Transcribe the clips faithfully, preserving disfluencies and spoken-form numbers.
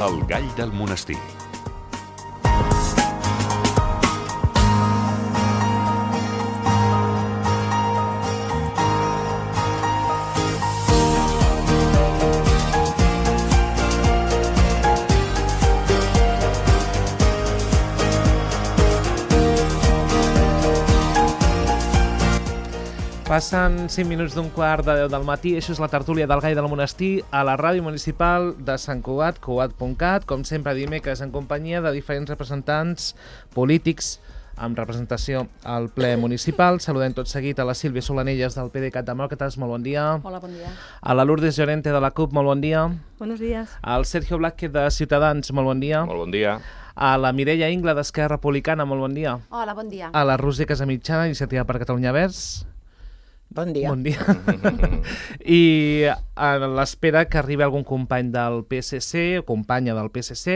El gall del monestir. Passen cinc minuts d'un quart de deu del matí. Això és la tertúlia del Gall del Monestir a la ràdio municipal de Sant Cugat, cugat punt cat, com sempre dimecres en companyia de diferents representants polítics amb representació al ple municipal. Saludem tot seguit a la Sílvia Solanelles del PDeCAT Demòcrates, molt bon dia. Hola, bon dia. A la Lourdes Llorente de la CUP, molt bon dia. Buenos días. Al Sergio Blázquez de Ciutadans, molt bon dia. Molt bon dia. A la Mireia Ingla d'Esquerra Republicana, molt bon dia. Hola, bon dia. A la Roser Casamitjana, Iniciativa per Catalunya Verds. Bon dia. Bon dia. I a l'espera que arribi algun company del P S C o companya del P S C,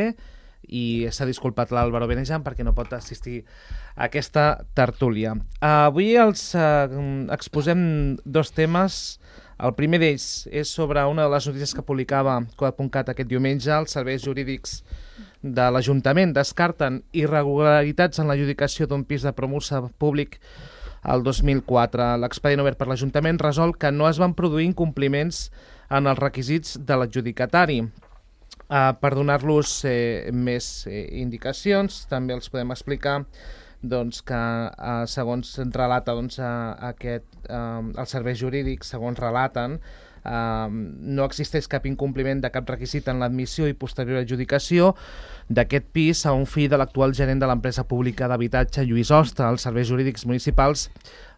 i s'ha disculpat l'Álvaro Benejan perquè no pot assistir a aquesta tertúlia. Avui els uh, exposem dos temes. El primer d'ells és sobre una de les notícies que publicava cugat punt cat aquest diumenge. Els serveis jurídics de l'Ajuntament descarten irregularitats en l'adjudicació d'un pis de promoció públic el dos mil quatre. L'expedient obert per l'Ajuntament resol que no es van produir incompliments en els requisits de l'adjudicatari. Uh, per donar-los eh, més eh, indicacions, també els podem explicar doncs, que uh, segons relata doncs, uh, aquest, uh, els serveis jurídics, segons relaten, Uh, no existeix cap incompliment de cap requisit en l'admissió i posterior adjudicació d'aquest pis a un fill de l'actual gerent de l'empresa pública d'habitatge Lluís Hoste. Els serveis jurídics municipals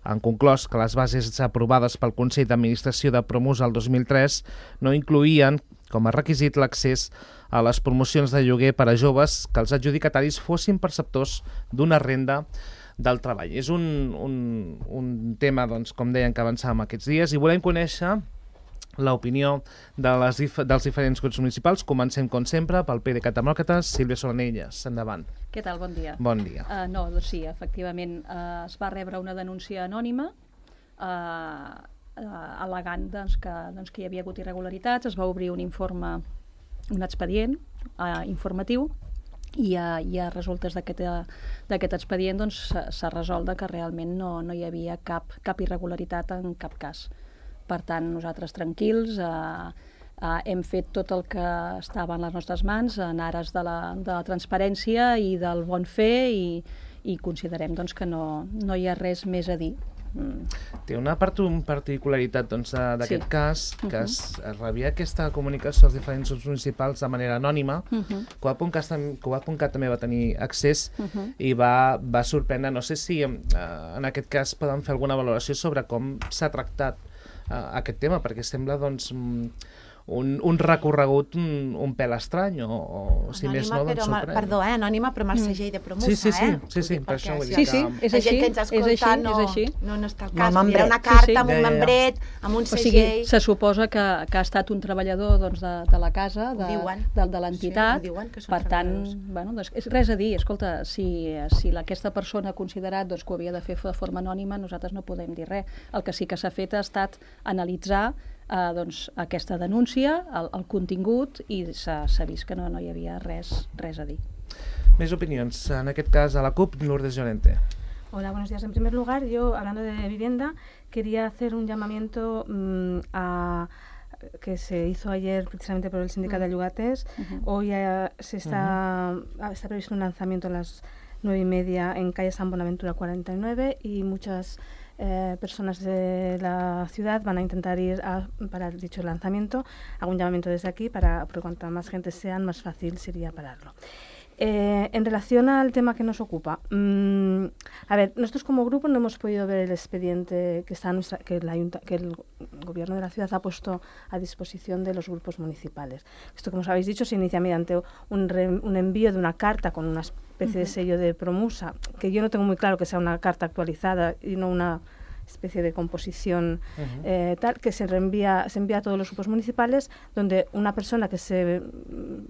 han conclòs que les bases aprovades pel Consell d'Administració de Promus el dos mil tres no incloïen com a requisit l'accés a les promocions de lloguer per a joves que els adjudicataris fossin perceptors d'una renda del treball. És un, un, un tema, doncs, com deien, que avançàvem aquests dies i volem conèixer l'opinió de les dif dels diferents grups municipals. Comencem, com sempre, pel PDeCAT Demòcrates. Sílvia Solanelles, endavant. Què tal? Bon dia. Bon dia. Uh, no, doncs sí, efectivament, uh, es va rebre una denúncia anònima uh, uh, al·legant doncs, que, doncs, que hi havia hagut irregularitats. Es va obrir un informe, un expedient uh, informatiu, i a, i a resultes d'aquest expedient doncs, s'ha resolt que realment no, no hi havia cap, cap irregularitat en cap cas. Per tant, nosaltres tranquils, eh, eh, hem fet tot el que estava en les nostres mans en ares de la, de la transparència i del bon fer, i, i considerem doncs, que no, no hi ha res més a dir. Mm. Té una part, un particularitat doncs, d'aquest Sí. cas, que Uh-huh. es, es rebia aquesta comunicació als diferents grups municipals de manera anònima. Uh-huh. cugat punt cat també va tenir accés Uh-huh. i va, va sorprendre. No sé si eh, en aquest cas poden fer alguna valoració sobre com s'ha tractat uh, aquest tema, perquè sembla doncs, un, un recorregut un, un pèl estrany, o, o si anònima, més no, doncs però, sorprèn. perdó, eh? Anònima, però amb el segell de Promusa, Sí, sí, sí, eh? sí, sí, per això ho he dit. Sí, sí, és La així, gent que ens és escolta així, no, és així. no, no està al No, cas. amb Era una membret. carta Sí, sí. amb un Ja, ja, ja. membret, amb un O sigui, segell. se suposa que, que ha estat un treballador doncs, de, de la casa, de, Diuen. de, de l'entitat. Sí, diuen que són Per tant, treballadors. bueno, doncs, és res a dir. Escolta, si, si aquesta persona ha considerat doncs, que ho havia de fer de forma anònima, nosaltres no podem dir res. El que sí que s'ha fet ha estat analitzar eh, doncs, aquesta denúncia, el, el contingut, i s'ha vist que no, no hi havia res, res a dir. Més opinions. En aquest cas, a la CUP, Lourdes Llorente. Hola, buenos días. En primer lugar, yo, hablando de vivienda, quería hacer un llamamiento mmm, a que se hizo ayer precisamente por el sindicato de Llogaters. Uh-huh. Hoy eh, se está, uh-huh. está previsto un lanzamiento a las nueve y media en calle San Bonaventura cuarenta y nueve, y muchas eh, personas de la ciudad van a intentar ir a, para dicho lanzamiento. Hago un llamamiento desde aquí para, porque cuanta más gente sean, más fácil sería pararlo. Eh, en relación al tema que nos ocupa, mmm, a ver, nosotros como grupo no hemos podido ver el expediente que, está nuestra, que, la, que el gobierno de la ciudad ha puesto a disposición de los grupos municipales. Esto, como os habéis dicho, se inicia mediante un, re, un envío de una carta con una especie uh-huh. de sello de Promusa, que yo no tengo muy claro que sea una carta actualizada y no una especie de composición uh-huh. eh, tal, que se reenvía, se envía a todos los grupos municipales, donde una persona que se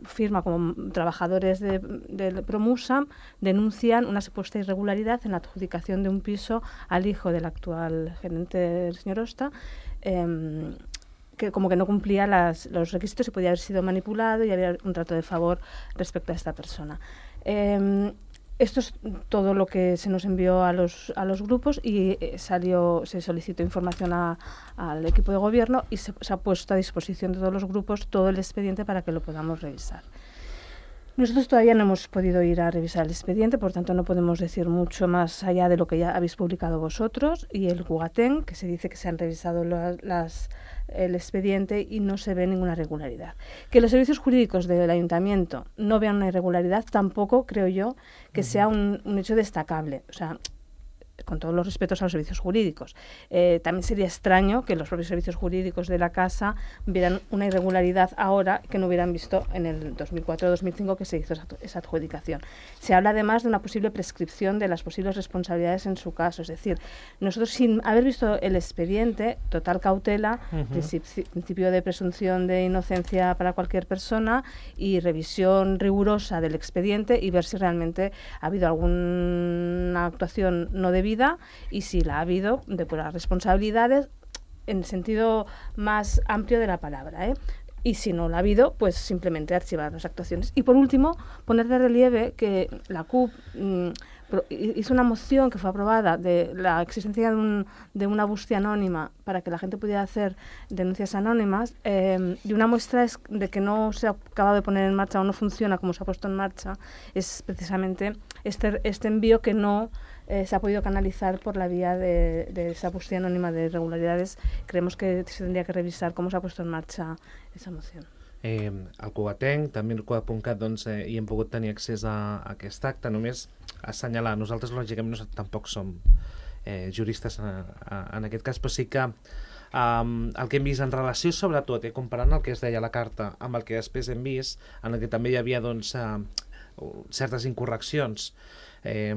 firma como trabajadores de, de Promusa denuncian una supuesta irregularidad en la adjudicación de un piso al hijo del actual gerente, el señor Hoste, eh, que como que no cumplía las, los requisitos y podía haber sido manipulado y había un trato de favor respecto a esta persona. Eh, Esto es todo lo que se nos envió a los, a los grupos y eh, salió, se solicitó información a, al equipo de gobierno y se, se ha puesto a disposición de todos los grupos todo el expediente para que lo podamos revisar. Nosotros todavía no hemos podido ir a revisar el expediente, por tanto no podemos decir mucho más allá de lo que ya habéis publicado vosotros y el Gugatén, que se dice que se han revisado la, las, el expediente y no se ve ninguna irregularidad. Que los servicios jurídicos del ayuntamiento no vean una irregularidad tampoco creo yo que sea un, un hecho destacable. O sea, con todos los respetos a los servicios jurídicos. Eh, también sería extraño que los propios servicios jurídicos de la casa vieran una irregularidad ahora que no hubieran visto en el dos mil cuatro dos mil cinco que se hizo esa, esa adjudicación. Se habla además de una posible prescripción de las posibles responsabilidades en su caso. Es decir, nosotros sin haber visto el expediente, total cautela, uh-huh. principi- principio de presunción de inocencia para cualquier persona y revisión rigurosa del expediente y ver si realmente ha habido alguna actuación no debida y si la ha habido, depurar responsabilidades en el sentido más amplio de la palabra, ¿eh? Y si no la ha habido, pues simplemente archivar las actuaciones. Y por último, poner de relieve que la C U P mmm, hizo una moción que fue aprobada de la existencia de, un, de una búsqueda anónima para que la gente pudiera hacer denuncias anónimas eh, y una muestra es de que no se ha acabado de poner en marcha o no funciona como se ha puesto en marcha es precisamente este, este envío que no eh, se ha podido canalizar por la vía de, de esa búsqueda anónima de irregularidades. Creemos que se tendría que revisar cómo se ha puesto en marcha esa moción. Eh, el Cugatenc, també el Cugat punt cat, doncs, eh, hi hem pogut tenir accés a, a aquest acte, només assenyalar, nosaltres lògicament no, tampoc som eh, juristes a, a, en aquest cas, però sí que um, el que hem vist en relació sobretot, eh, comparant el que es deia a la carta amb el que després hem vist, en el que també hi havia doncs, uh, certes incorreccions, eh,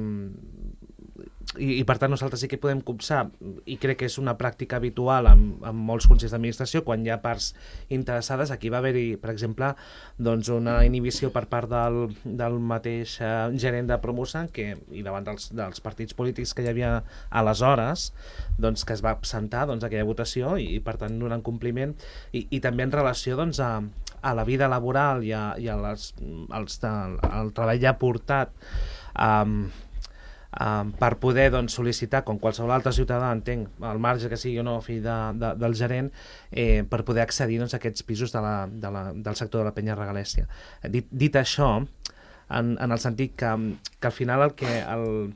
i, i per tant nosaltres sí que podem copsar, i crec que és una pràctica habitual amb, amb molts consells d'administració, quan hi ha parts interessades. Aquí va haver-hi, per exemple, doncs una inhibició per part del, del mateix eh, gerent de Promosan que, i davant dels, dels partits polítics que hi havia aleshores, doncs, que es va absentar doncs, aquella votació i, i per tant donant compliment, i, i també en relació doncs, a, a la vida laboral i, a, i a les, als, al, al treball ja portat um, Um, per poder doncs, sol·licitar, com qualsevol altre ciutadà, entenc, al marge que sigui o no fill de, de, del gerent, eh, per poder accedir doncs, a aquests pisos de la, de la, del sector de la penya regalèssia. Dit, dit això, en, en el sentit que, que al final el que... El,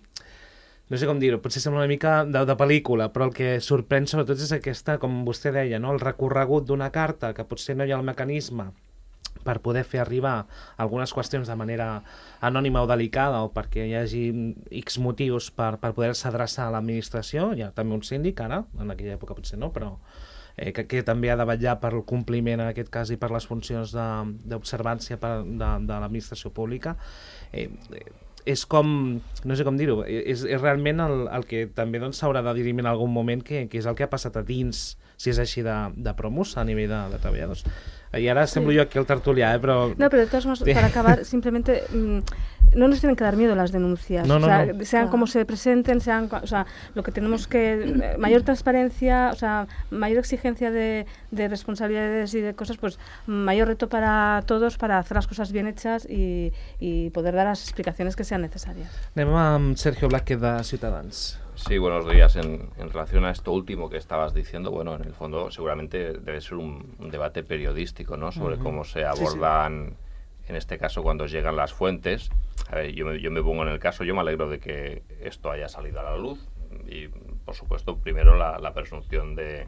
no sé com dir-ho, potser sembla una mica de, de pel·lícula, però el que sorprèn sobretot és aquesta, com vostè deia, no? El recorregut d'una carta, que potser no hi ha el mecanisme per poder fer arribar algunes qüestions de manera anònima o delicada o perquè hi hagi X motius per, per poder-se adreçar a l'administració. Hi ha també un síndic ara, en aquella època potser no, però eh, que, que també ha de vetllar per el compliment en aquest cas i per les funcions d'observància de, de, de l'administració pública. Eh, és com, no sé com dir-ho, és, és realment el, el que també doncs, s'haurà de dirimir en algun moment, que, que és el que ha passat a dins, si és així, de, de Promus a nivell de, de treballadors. Y ahora semblo sí. yo aquí el tertulià, ¿eh? Pero... No, pero de todas formas, para acabar, simplemente mmm, no nos tienen que dar miedo las denuncias. No, no, o sea, no. sean Claro. como se presenten, sean, o sea, lo que tenemos que... Mayor transparencia, o sea, mayor exigencia de, de responsabilidades y de cosas, pues mayor reto para todos para hacer las cosas bien hechas y, y poder dar las explicaciones que sean necesarias. Anem amb Sergio Blázquez de Ciutadans. Sí, buenos días. En, en relación a esto último que estabas diciendo, bueno, en el fondo seguramente debe ser un, un debate periodístico, ¿no? Sobre uh-huh. cómo se abordan, sí, sí. en este caso, cuando llegan las fuentes. A ver, yo me, yo me pongo en el caso, yo me alegro de que esto haya salido a la luz y, por supuesto, primero la, la presunción de,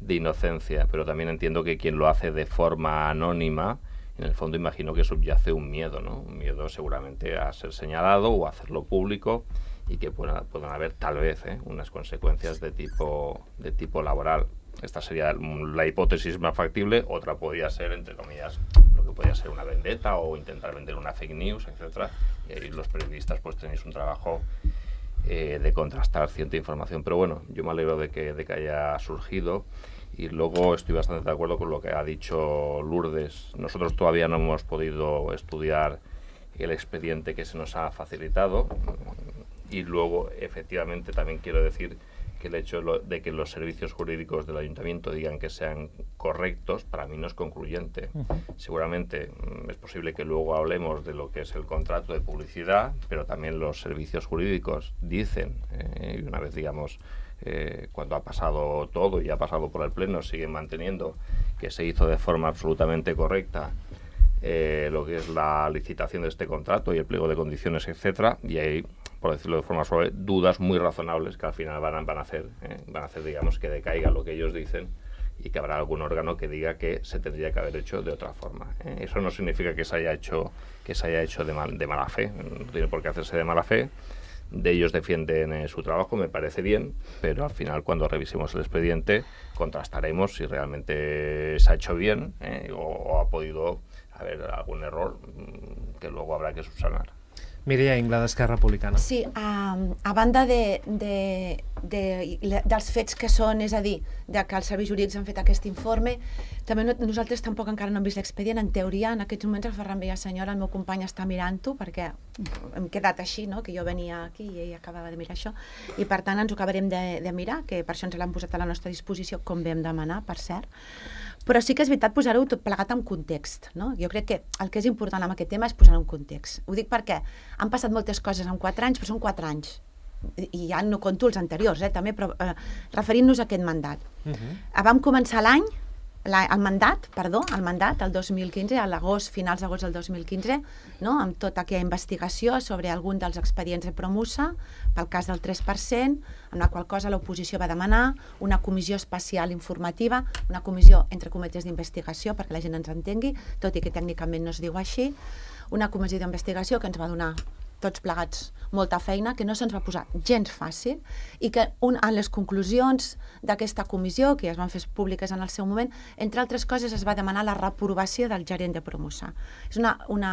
de inocencia, pero también entiendo que quien lo hace de forma anónima, en el fondo imagino que subyace un miedo, ¿no? Un miedo seguramente a ser señalado o a hacerlo público, y que puedan, puedan haber tal vez ¿eh? unas consecuencias de tipo, de tipo laboral. Esta sería la hipótesis más factible. Otra podría ser, entre comillas, lo que podría ser una vendetta o intentar vender una fake news, etcétera. Y ahí los periodistas pues tenéis un trabajo eh, de contrastar cierta información. Pero bueno, yo me alegro de que, de que haya surgido. Y luego estoy bastante de acuerdo con lo que ha dicho Lourdes. Nosotros todavía no hemos podido estudiar el expediente que se nos ha facilitado. Y luego, efectivamente, también quiero decir que el hecho de que los servicios jurídicos del ayuntamiento digan que sean correctos, para mí no es concluyente. Uh-huh. Seguramente mm, es posible que luego hablemos de lo que es el contrato de publicidad, pero también los servicios jurídicos dicen, eh, y una vez, digamos, eh, cuando ha pasado todo y ha pasado por el Pleno, siguen manteniendo que se hizo de forma absolutamente correcta eh, lo que es la licitación de este contrato y el pliego de condiciones, etcétera, y hay, por decirlo de forma suave, dudas muy razonables que al final van a, van a hacer, eh, van a hacer, digamos, que decaiga lo que ellos dicen y que habrá algún órgano que diga que se tendría que haber hecho de otra forma. Eh. Eso no significa que se haya hecho, que se haya hecho de, mal, de mala fe, no tiene por qué hacerse de mala fe. De ellos defienden eh, su trabajo, me parece bien, pero al final cuando revisemos el expediente contrastaremos si realmente se ha hecho bien eh, o, o ha podido haber algún error mmm, que luego habrá que subsanar. Mireia Ingla, d'Esquerra Republicana. Sí, a, a banda de, de, de, de, dels fets que són, és a dir, de que els serveis jurídics han fet aquest informe, també no, nosaltres tampoc encara no hem vist l'expedient. En teoria, en aquests moments, el Ferran Villasenyora, el meu company, està mirant-ho, perquè hem quedat així, no?, que jo venia aquí i ell acabava de mirar això, i per tant ens ho acabarem de, de mirar, que per això ens l'han posat a la nostra disposició, com vam demanar, per cert. Però sí que és veritat posar-ho tot plegat en context, no? Jo crec que el que és important amb aquest tema és posar-ho en context. Ho dic perquè han passat moltes coses en quatre anys, però són quatre anys. I ja no conto els anteriors, eh, també, però eh, referint-nos a aquest mandat. Uh-huh. Vam començar l'any, el mandat, perdó, el mandat, el dos mil quinze, a l'agost, finals d'agost del dos mil quinze, no?, amb tota aquella investigació sobre algun dels expedients de Promusa, pel cas del tres per cent, amb la qual cosa l'oposició va demanar una comissió especial informativa, una comissió, entre cometes, d'investigació, perquè la gent ens entengui, tot i que tècnicament no es diu així, una comissió d'investigació que ens va donar tots plegats molta feina, que no se'ns va posar gens fàcil, i que un, en les conclusions d'aquesta comissió, que ja es van fer públiques en el seu moment, entre altres coses es va demanar la reprovació del gerent de Promusa. És una, una,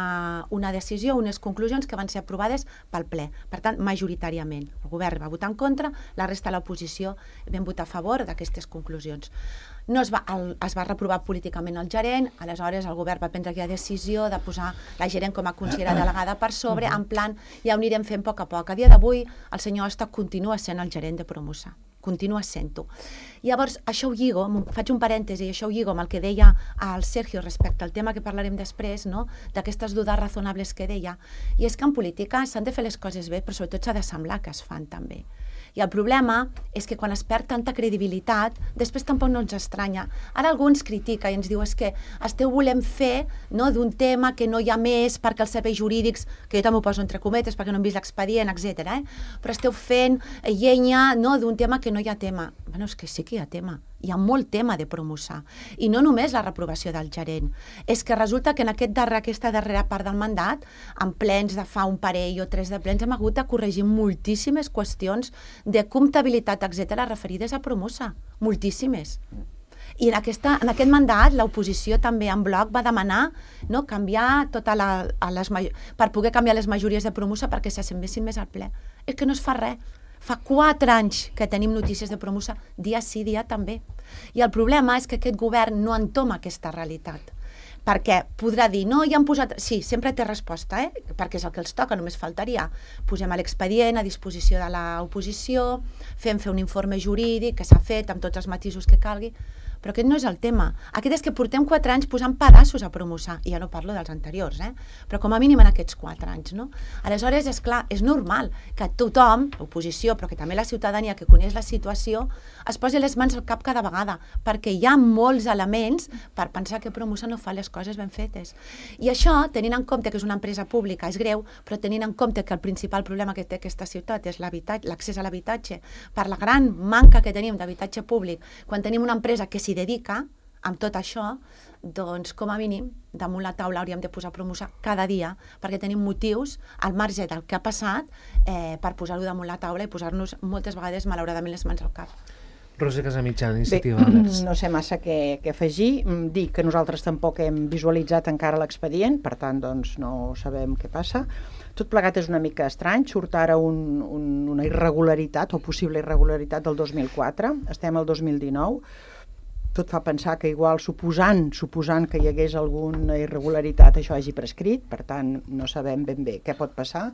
una decisió, unes conclusions que van ser aprovades pel ple, per tant, majoritàriament. El govern va votar en contra, la resta de l'oposició vam votar a favor d'aquestes conclusions. No es va, el, es va reprovar políticament el gerent, aleshores el govern va prendre aquella decisió de posar la gerent com a consellera delegada per sobre, en plan, ja ho anirem fent a poc a poc. A dia d'avui, el senyor Osta continua sent el gerent de Promusa, continua sent-ho. Llavors, això ho lligo, faig un parèntesi, això ho lligo amb el que deia el Sergio respecte al tema que parlarem després, no?, d'aquestes dudes razonables que deia, i és que en política s'han de fer les coses bé, però sobretot s'ha de semblar que es fan també. I el problema és que quan es perd tanta credibilitat, després tampoc no ens estranya. Ara algú ens critica i ens diu és que esteu volent fer, no, d'un tema que no hi ha més perquè els serveis jurídics, que jo també ho poso entre cometes perquè no hem vist l'expedient, etcètera, eh? Però esteu fent llenya, no, d'un tema que no hi ha tema. Bueno, és que sí que hi ha tema. Hi ha molt tema de Promusa. I no només la reprovació del gerent. És que resulta que en aquest darrer, aquesta darrera part del mandat, en plens de fa un parell o tres de plens, hem hagut de corregir moltíssimes qüestions de comptabilitat, etcètera, referides a Promusa. Moltíssimes. I en, aquesta, en aquest mandat l'oposició també en bloc va demanar, no, canviar tota la, a les, per poder canviar les majories de Promusa perquè s'assembessin més al ple. És que no es fa res. Fa quatre anys que tenim notícies de Promusa, dia sí, dia també. I el problema és que aquest govern no entoma aquesta realitat. Perquè podrà dir, no, ja han posat... Sí, sempre té resposta, eh? Perquè és el que els toca, només faltaria. Posem l'expedient a disposició de l'oposició, fem fer un informe jurídic que s'ha fet amb tots els matisos que calgui, però aquest no és el tema. Aquest és que portem quatre anys posant pedaços a Promusa, i ja no parlo dels anteriors, eh? Però com a mínim en aquests quatre anys, no? Aleshores, és clar, és normal que tothom, l'oposició, però que també la ciutadania que coneix la situació, es posi les mans al cap cada vegada, perquè hi ha molts elements per pensar que Promusa no fa les coses ben fetes. I això, tenint en compte que és una empresa pública, és greu, però tenint en compte que el principal problema que té aquesta ciutat és l'accés a l'habitatge, per la gran manca que tenim d'habitatge públic, quan tenim una empresa que s'hi dedica amb tot això, doncs com a mínim damunt la taula hauríem de posar Promusa cada dia perquè tenim motius al marge del que ha passat eh, per posar-ho damunt la taula i posar-nos moltes vegades malauradament les mans al cap. Roser Casamitjana, Iniciativa Verds. No sé massa què, què afegir. Dic que nosaltres tampoc hem visualitzat encara l'expedient, per tant doncs no sabem què passa. Tot plegat és una mica estrany, surt ara un, un, una irregularitat o possible irregularitat del dos mil quatre, estem al dos mil dinou, tot fa pensar que igual suposant, suposant que hi hagués alguna irregularitat això hagi prescrit, per tant no sabem ben bé què pot passar.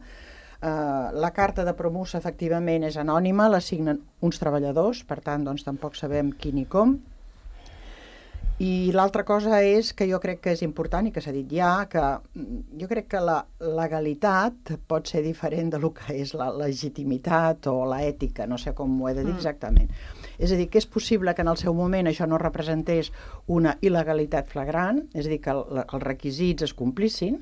Uh, la carta de Promusa, efectivament, és anònima, la signen uns treballadors, per tant, doncs, tampoc sabem qui ni com. I l'altra cosa és que jo crec que és important, i que s'ha dit ja, que jo crec que la legalitat pot ser diferent del que és la legitimitat o l'ètica, no sé com ho he de dir exactament. És a dir, que és possible que en el seu moment això no representés una il·legalitat flagrant, és a dir, que el, els requisits es complissin.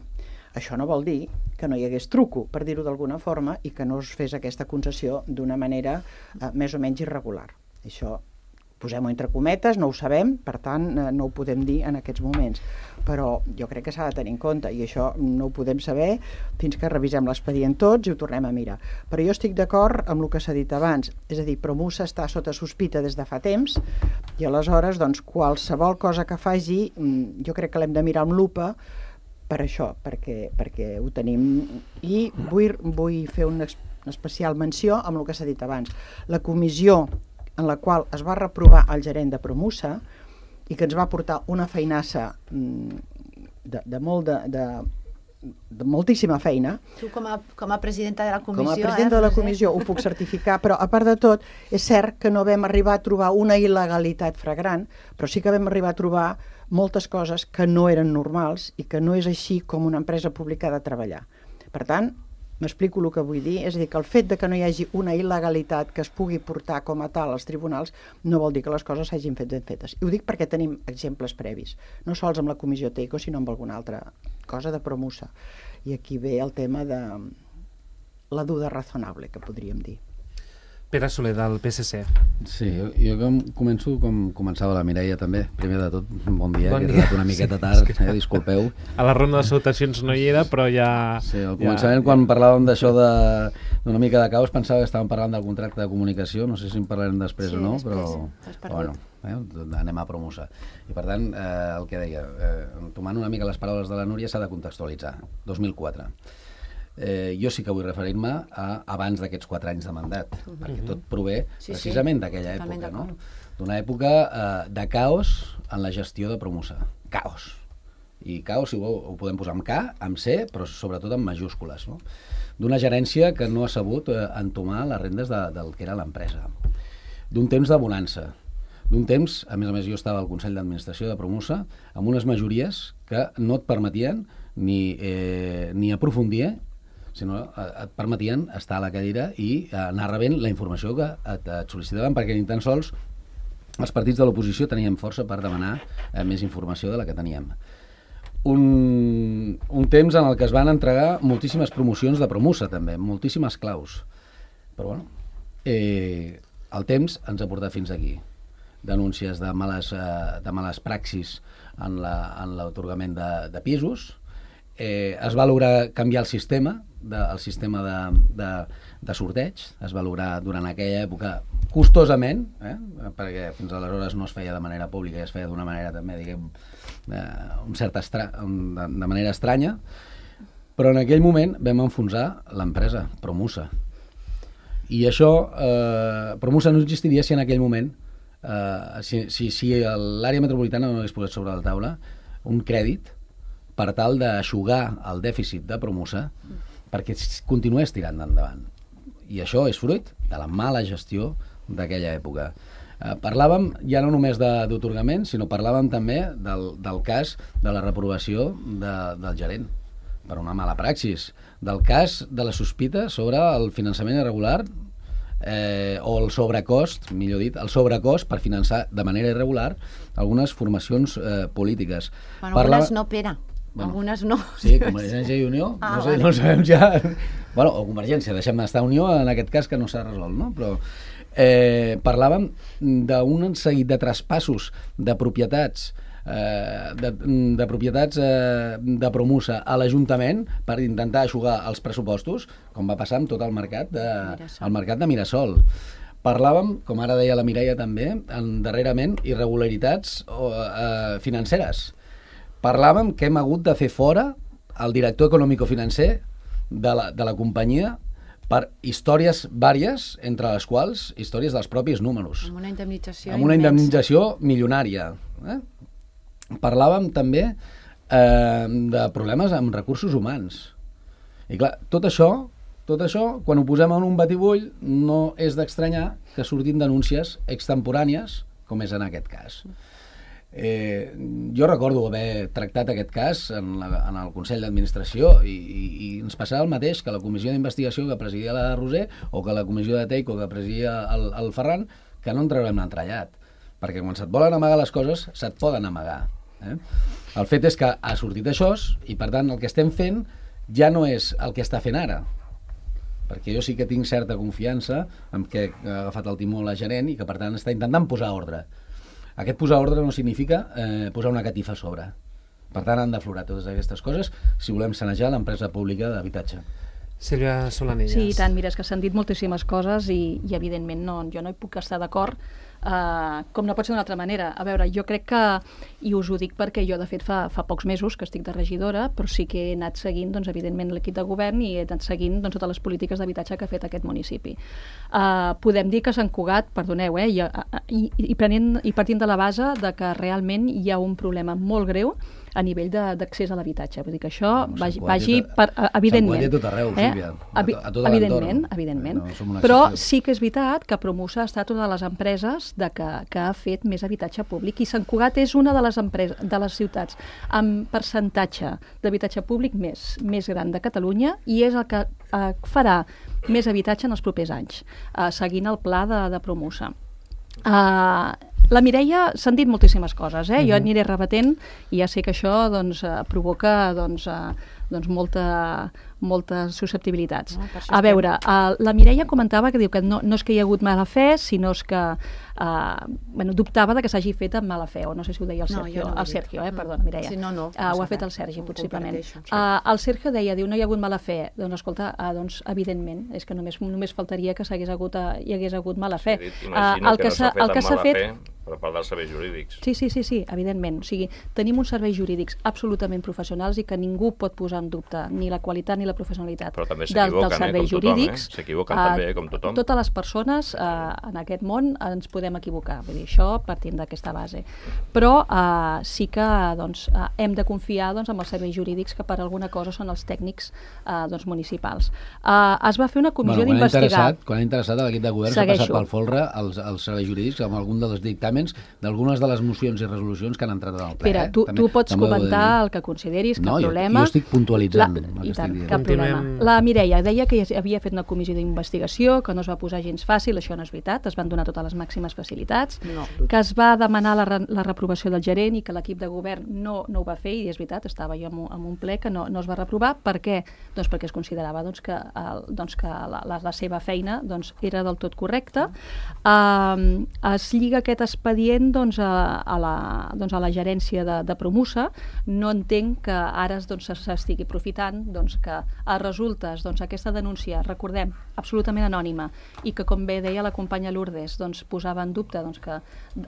Això no vol dir que no hi hagués truco, per dir-ho d'alguna forma, i que no es fes aquesta concessió d'una manera eh, més o menys irregular. Això, posem-ho entre cometes, no ho sabem, per tant, eh, no ho podem dir en aquests moments. Però jo crec que s'ha de tenir en compte, i això no ho podem saber fins que revisem l'expedient tots i ho tornem a mirar. Però jo estic d'acord amb el que s'ha dit abans, és a dir, Promusa està sota sospita des de fa temps, i aleshores, doncs, qualsevol cosa que faci, jo crec que l'hem de mirar amb lupa, per això, perquè, perquè ho tenim. I vull, vull fer una especial menció amb el que s'ha dit abans. La comissió en la qual es va reprovar el gerent de Promusa i que ens va portar una feinassa de, de, molt de, de, de moltíssima feina. Tu com a, com a presidenta de la comissió... Com a presidenta eh, de la comissió ho puc certificar, però a part de tot, és cert que no vam arribar a trobar una il·legalitat flagrant, però sí que vam arribar a trobar moltes coses que no eren normals i que no és així com una empresa pública ha de treballar. Per tant, m'explico el que vull dir, és a dir, que el fet de que no hi hagi una il·legalitat que es pugui portar com a tal als tribunals no vol dir que les coses s'hagin fet ben fetes. I ho dic perquè tenim exemples previs, no sols amb la comissió Teico, sinó amb alguna altra cosa de Promusa. I aquí ve el tema de la duda razonable, que podríem dir. Pere Soler, del P S C. Sí, jo, jo com començo com començava la Mireia també. Primer de tot, bon dia, bon que he dia. arribat una miqueta tard, sí, eh, disculpeu. A la ronda de salutacions no hi era, però ja... Sí, al començament, ja, quan ja. parlàvem d'això d'una mica de caos, pensava que estàvem parlant del contracte de comunicació, no sé si en parlarem després sí, o no, després, però bueno, eh, anem a Promusa. I per tant, eh, el que deia, eh, tomant una mica les paraules de la Núria, s'ha de contextualitzar. dos mil quatre. Eh, jo sí que vull referir-me a abans d'aquests quatre anys de mandat, uh -huh. perquè tot prové sí, precisament sí, d'aquella època, no? D'una època eh, de caos en la gestió de Promusa. Caos. I caos, si ho, ho podem posar amb K, amb C, però sobretot amb majúscules, no? D'una gerència que no ha sabut eh, entomar les rendes de, del que era l'empresa. D'un temps de bonança. D'un temps, a més a més jo estava al Consell d'Administració de Promusa, amb unes majories que no et permetien ni, eh, ni aprofundir, sinó et permetien estar a la cadira i anar rebent la informació que et, et sol·licitaven, perquè ni tan sols els partits de l'oposició teníem força per demanar eh, més informació de la que teníem. Un, un temps en el que es van entregar moltíssimes promocions de Promusa, també, moltíssimes claus. Però, bueno, eh, el temps ens ha portat fins aquí. Denúncies de males, eh, de males praxis en l'atorgament de, de pisos. Eh, es va lograr canviar el sistema, de, el sistema de, de, de sorteig, es va lograr durant aquella època costosament, eh, perquè fins aleshores no es feia de manera pública i es feia d'una manera també, diguem, eh, un cert estra un, de, de manera estranya, però en aquell moment vam enfonsar l'empresa, Promusa. I això, eh, Promusa no existiria si en aquell moment, eh, si, si, si l'àrea metropolitana no hagués posat sobre la taula un crèdit per tal d'aixugar el dèficit de Promusa perquè continués tirant endavant. I això és fruit de la mala gestió d'aquella època. Eh, parlàvem ja no només d'atorgament, sinó parlàvem també del, del cas de la reprovació de, del gerent per una mala praxis, del cas de la sospita sobre el finançament irregular eh, o el sobrecost, millor dit, el sobrecost per finançar de manera irregular algunes formacions eh, polítiques. Bueno, Parla... algunes no, Pere. Bueno, algunes no. Sí, Convergència i Unió, ah, no, sé, vale. no sabem ja... Bueno, o Convergència, deixem d'estar Unió en aquest cas que no s'ha resolt, no? Però eh, parlàvem d'un seguit de traspassos de propietats eh, de, de propietats eh, de Promusa a l'Ajuntament per intentar aixugar els pressupostos, com va passar amb tot el mercat de, el mercat de Mirasol. Parlàvem, com ara deia la Mireia també, en, darrerament, irregularitats eh, financeres. Parlàvem que hem hagut de fer fora el director econòmico-financer de la, de la companyia per històries vàries, entre les quals històries dels propis números. Amb una indemnització Amb una indemnització milionària. Eh? Parlàvem també eh, de problemes amb recursos humans. I clar, tot això Tot això, quan ho posem en un batibull, no és d'estranyar que surtin denúncies extemporànies, com és en aquest cas. Eh, jo recordo haver tractat aquest cas en, la, en el Consell d'Administració i, i, i ens passava el mateix que la comissió d'investigació que presidia la Roser o que la comissió de Teico que presidia el, el Ferran, que no en traurem l'entrellat, perquè quan se't volen amagar les coses, se't poden amagar. Eh? El fet és que ha sortit això i, per tant, el que estem fent ja no és el que està fent ara, perquè jo sí que tinc certa confiança en que ha agafat el timó la gerent i que, per tant, està intentant posar ordre. Aquest posar ordre no significa eh, posar una catifa a sobre. Per tant, han d'aflorar totes aquestes coses si volem sanejar l'empresa pública d'habitatge. Sílvia Solanillas. Sí, i tant, mira, és que s'han dit moltíssimes coses i, i evidentment, no, jo no hi puc estar d'acord, uh, com no pot ser d'una altra manera. A veure, jo crec que, i us ho dic perquè jo, de fet, fa, fa pocs mesos que estic de regidora, però sí que he anat seguint, doncs, evidentment, l'equip de govern i he anat seguint doncs, totes les polítiques d'habitatge que ha fet aquest municipi. Uh, podem dir que Sant Cugat, perdoneu, eh, i, i, i, prenent, i partint de la base de que realment hi ha un problema molt greu a nivell d'accés a l'habitatge. Vull dir que això no, vagi, vagi per, evidentment. Sant Cugat i a tot arreu, eh? Sílvia. A, a tot evidentment, evidentment. No, però sí que és veritat que Promusa ha estat una de les empreses de que, que ha fet més habitatge públic i Sant Cugat és una de les, empreses, de les ciutats amb percentatge d'habitatge públic més, més gran de Catalunya i és el que eh, farà més habitatge en els propers anys, eh, seguint el pla de, de Promusa. Uh, la Mireia, s'han dit moltíssimes coses, eh? Uh-huh. Jo aniré rebatent i ja sé que això doncs, uh, provoca doncs, uh, doncs molta, moltes susceptibilitats. No, a veure, uh, la Mireia comentava que diu que no, no és que hi ha hagut mala fe, sinó és que uh, bueno, dubtava de que s'hagi fet amb mala fe, o no sé si ho deia el Sergio, no, no el Sergio, eh? Perdona, Mireia. Sí, no, no, uh, ho ha fet el Sergi, possiblement. Uh, el Sergio deia, diu, no hi ha hagut mala fe. Doncs, escolta, uh, doncs, evidentment, és que només, només faltaria que s'hagués hagut, uh, hi hagués hagut mala fe. Sí, imagino uh, el que, que no s'ha fet amb mala fet, fe per part dels serveis jurídics. Sí, sí, sí, sí, evidentment. O sigui, tenim uns serveis jurídics absolutament professionals i que ningú pot posar en dubte ni la qualitat ni la professionalitat dels, dels serveis eh, jurídics. Eh? S'equivoquen uh, també, com tothom. Totes les persones uh, en aquest món ens podem equivocar. Vull dir, això partint d'aquesta base. Però uh, sí que doncs, uh, hem de confiar doncs, en els serveis jurídics que per alguna cosa són els tècnics uh, doncs, municipals. Uh, es va fer una comissió bueno, d'investigar... Quan ha interessat l'equip de govern s'ha passat pel folre els, els serveis jurídics amb algun dels dictàmens d'algunes de les mocions i resolucions que han entrat en el ple. Espera, tu, eh? tu pots comentar el que consideris, cap no, problema. Jo, jo estic puntualitzant. La, I tant, cap problema. La Mireia deia que havia fet una comissió d'investigació, que no es va posar gens fàcil, això no és veritat, es van donar totes les màximes facilitats, no. que es va demanar la, la reprovació del gerent i que l'equip de govern no, no ho va fer, i és veritat, estava jo en un, en un ple que no, no es va reprovar. Per què? Doncs perquè es considerava doncs, que, el, doncs, que la, la, la seva feina doncs, era del tot correcta. Uh, es lliga aquest expedient doncs, a, a, la, doncs, a la gerència de, de Promusa. No entenc que ara doncs, s'estigui aprofitant doncs, que a resultes doncs, aquesta denúncia, recordem, absolutament anònima, i que, com bé deia la companya Lourdes, doncs, posava en dubte doncs, que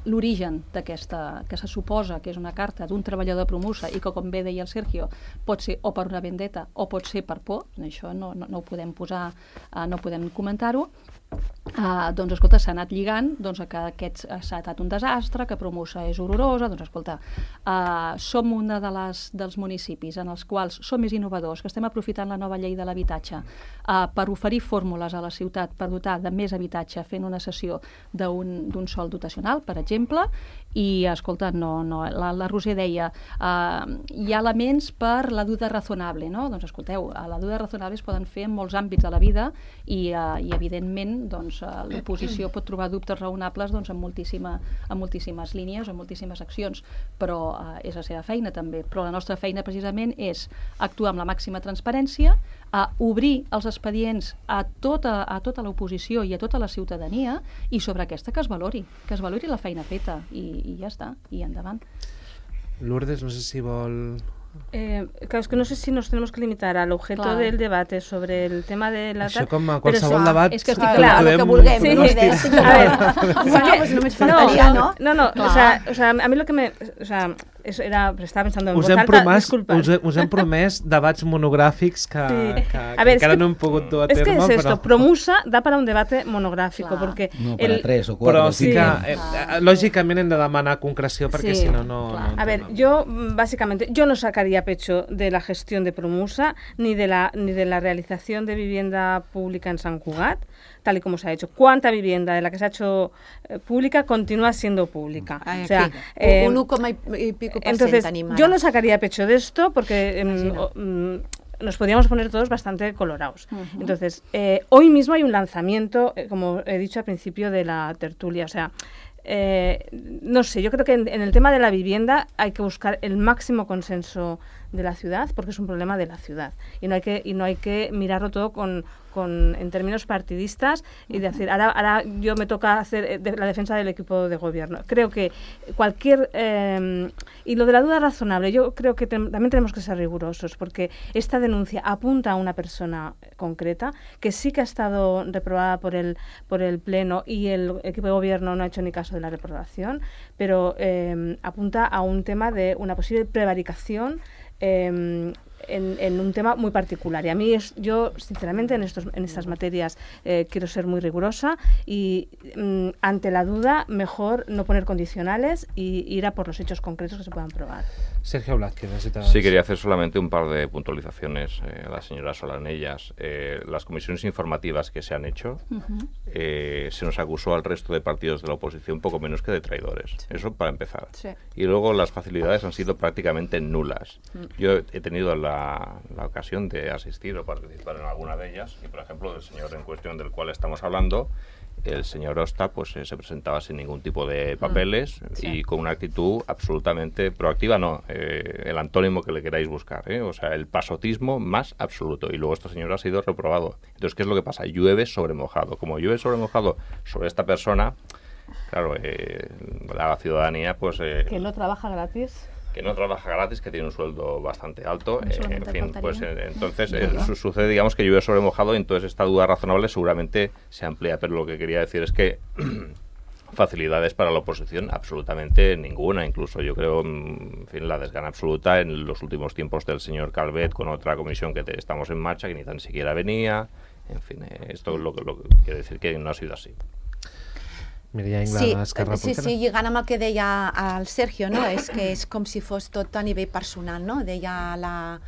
l'origen d'aquesta, que se suposa que és una carta d'un treballador de Promusa i que, com bé deia el Sergio, pot ser o per una vendetta o pot ser per por, això no, no, no ho podem posar, uh, no podem comentar-ho. Uh, doncs escolta, s'ha anat lligant doncs, que aquest s'ha estat un desastre, que Promusa és horrorosa. Doncs escolta, uh, som una de les, dels municipis en els quals som més innovadors, que estem aprofitant la nova llei de l'habitatge uh, per oferir fórmules a la ciutat per dotar de més habitatge fent una cessió d'un sòl dotacional, per exemple, i escolta, no, no, la, la Roser deia uh, hi ha elements per la duda razonable, no? Doncs escolteu, la duda razonable es poden fer en molts àmbits de la vida i, uh, i evidentment doncs, uh, l'oposició pot trobar dubtes raonables doncs, en, moltíssima, en moltíssimes línies o en moltíssimes accions, però uh, és la seva feina també. Però la nostra feina precisament és actuar amb la màxima transparència, a obrir els expedients a tota, a tota l'oposició i a tota la ciutadania, i sobre aquesta que es valori, que es valori la feina feta, i, i ja està, i endavant. Lourdes, no sé si vol... Eh, claro, es que no sé si nos tenemos que limitar al objeto claro. del debate sobre el tema de la... Això com a qualsevol debat... És que estic clar, el que vulguem. Sí, no, sí, sí. A ver, bueno, pues només faltaria, ¿no? No, no, no o sea, o sea, a mí lo que me... O sea, Eso era, estaba pensando en us voz hem alta, promès, disculpa. us, us hem promès debats monogràfics que, Sí. que, A que ver, encara es que, no hem pogut dur a es que terme, es esto, però... Promusa da para un debate monográfico, Claro. porque... No, para el- tres o cuatro. Però o sí cinco. que, eh, eh, lògicament, hem de demanar concreció perquè Sí, si no, no... claro. no A ver, entenem. yo mm, básicamente, yo no sacaría pecho de la gestión de Promusa ni de la ni de la realización de vivienda pública en San Cugat, tal y como se ha hecho. ¿Cuánta vivienda de la que se ha hecho eh, pública continúa siendo pública? Ay, O sea, aquí, eh, un uno coma y y pico por entonces, ciento animada. yo no sacaría pecho de esto porque mm, Imagina. o- mm, nos podríamos poner todos bastante colorados. Entonces, eh, hoy mismo hay un lanzamiento, eh, como he dicho al principio de la tertulia, o sea, eh, no sé, yo creo que en, en el tema de la vivienda hay que buscar el máximo consenso de la ciudad porque es un problema de la ciudad y no hay que y no hay que mirarlo todo con, con en términos partidistas y de decir ahora ahora yo me toca hacer eh, de, la defensa del equipo de gobierno. Creo que cualquier eh, y lo de la duda razonable, yo creo que tem- también tenemos que ser rigurosos porque esta denuncia apunta a una persona concreta que sí que ha estado reprobada por el por el pleno y el equipo de gobierno no ha hecho ni caso de la reprobación, pero eh, apunta a un tema de una posible prevaricación eh, en, en un tema muy particular. Y a mí, es, yo, sinceramente, en, estos, en estas materias eh, quiero ser muy rigurosa y mm, ante la duda, mejor no poner condicionales y ir a por los hechos concretos que se puedan probar. Sergio Blázquez, necesitas... Sí, quería hacer solamente un par de puntualizaciones eh, a la señora Solanellas. Eh, las comisiones informativas que se han hecho, eh, se nos acusó al resto de partidos de la oposición poco menos que de traidores. Eso para empezar. Sí. Y luego las facilidades han sido prácticamente nulas. Yo he tenido la, la ocasión de asistir o participar en alguna de ellas y, por ejemplo, el señor en cuestión del cual estamos hablando, el señor Osta, pues eh, se presentaba sin ningún tipo de papeles sí. y con una actitud absolutamente proactiva, no, eh, el antónimo que le queráis buscar, ¿eh? O sea, el pasotismo más absoluto. Y luego este señor ha sido reprobado. Entonces, ¿qué es lo que pasa? Llueve sobre mojado. Como llueve sobre mojado sobre esta persona, claro, eh, la ciudadanía, pues... Eh, Que no trabaja gratis. que no trabaja gratis, que tiene un sueldo bastante alto, No eh, en solamente fin, faltaría. pues eh, entonces eh, su- sucede, digamos, que llueve sobre mojado y entonces esta duda razonable seguramente se amplía, pero lo que quería decir es que facilidades para la oposición absolutamente ninguna, incluso yo creo, mm, en fin, la desgana absoluta en los últimos tiempos del señor Calvet con otra comisión que te- estamos en marcha, que ni tan siquiera venía, en fin, eh, esto es lo que, lo que quiere decir que no ha sido así. Mireia Ingla, Sí, d'Esquerra sí, Republicana. sí, lligant amb el que deia el Sergio, no? És que és com si fos tot a nivell personal, no? Deia la,